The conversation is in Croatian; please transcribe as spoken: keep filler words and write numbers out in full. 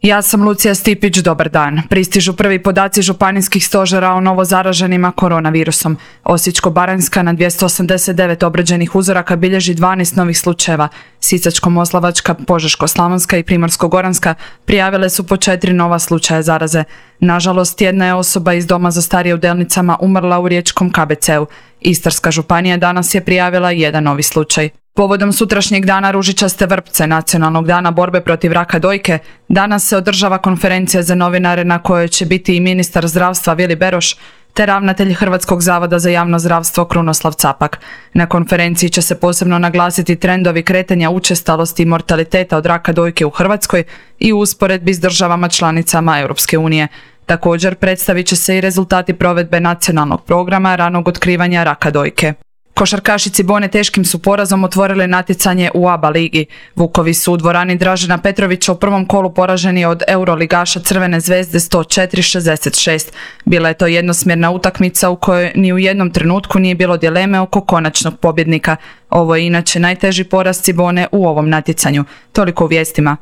Ja sam Lucija Stipić, dobar dan. Pristižu prvi podaci županijskih stožera o novo zaraženima koronavirusom. Osječko-baranjska na dvjesto osamdeset devet obrađenih uzoraka bilježi dvanaest novih slučajeva. Sisačko-moslavačka, Požeško-slavonska i Primorsko-goranska prijavile su po četiri nova slučaja zaraze. Nažalost, jedna je osoba iz doma za starije u Delnicama umrla u riječkom K B C-u. Istarska županija danas je prijavila jedan novi slučaj. Povodom sutrašnjeg dana ružičaste vrpce, nacionalnog dana borbe protiv raka dojke, danas se održava konferencija za novinare na kojoj će biti i ministar zdravstva Vili Beroš, te ravnatelj Hrvatskog zavoda za javno zdravstvo Krunoslav Capak. Na konferenciji će se posebno naglasiti trendovi kretanja učestalosti i mortaliteta od raka dojke u Hrvatskoj i u usporedbi s državama članicama Europske unije. Također predstavit će se i rezultati provedbe nacionalnog programa ranog otkrivanja raka dojke. Košarkaši Cibone teškim su porazom otvorili natjecanje u A B A ligi. Vukovi su u dvorani Dražena Petrovića u prvom kolu poraženi od euroligaša Crvene zvezde sto četiri šezdeset šest. Bila je to jednosmjerna utakmica u kojoj ni u jednom trenutku nije bilo dileme oko konačnog pobjednika. Ovo je inače najteži poraz Cibone u ovom natjecanju. Toliko u vijestima.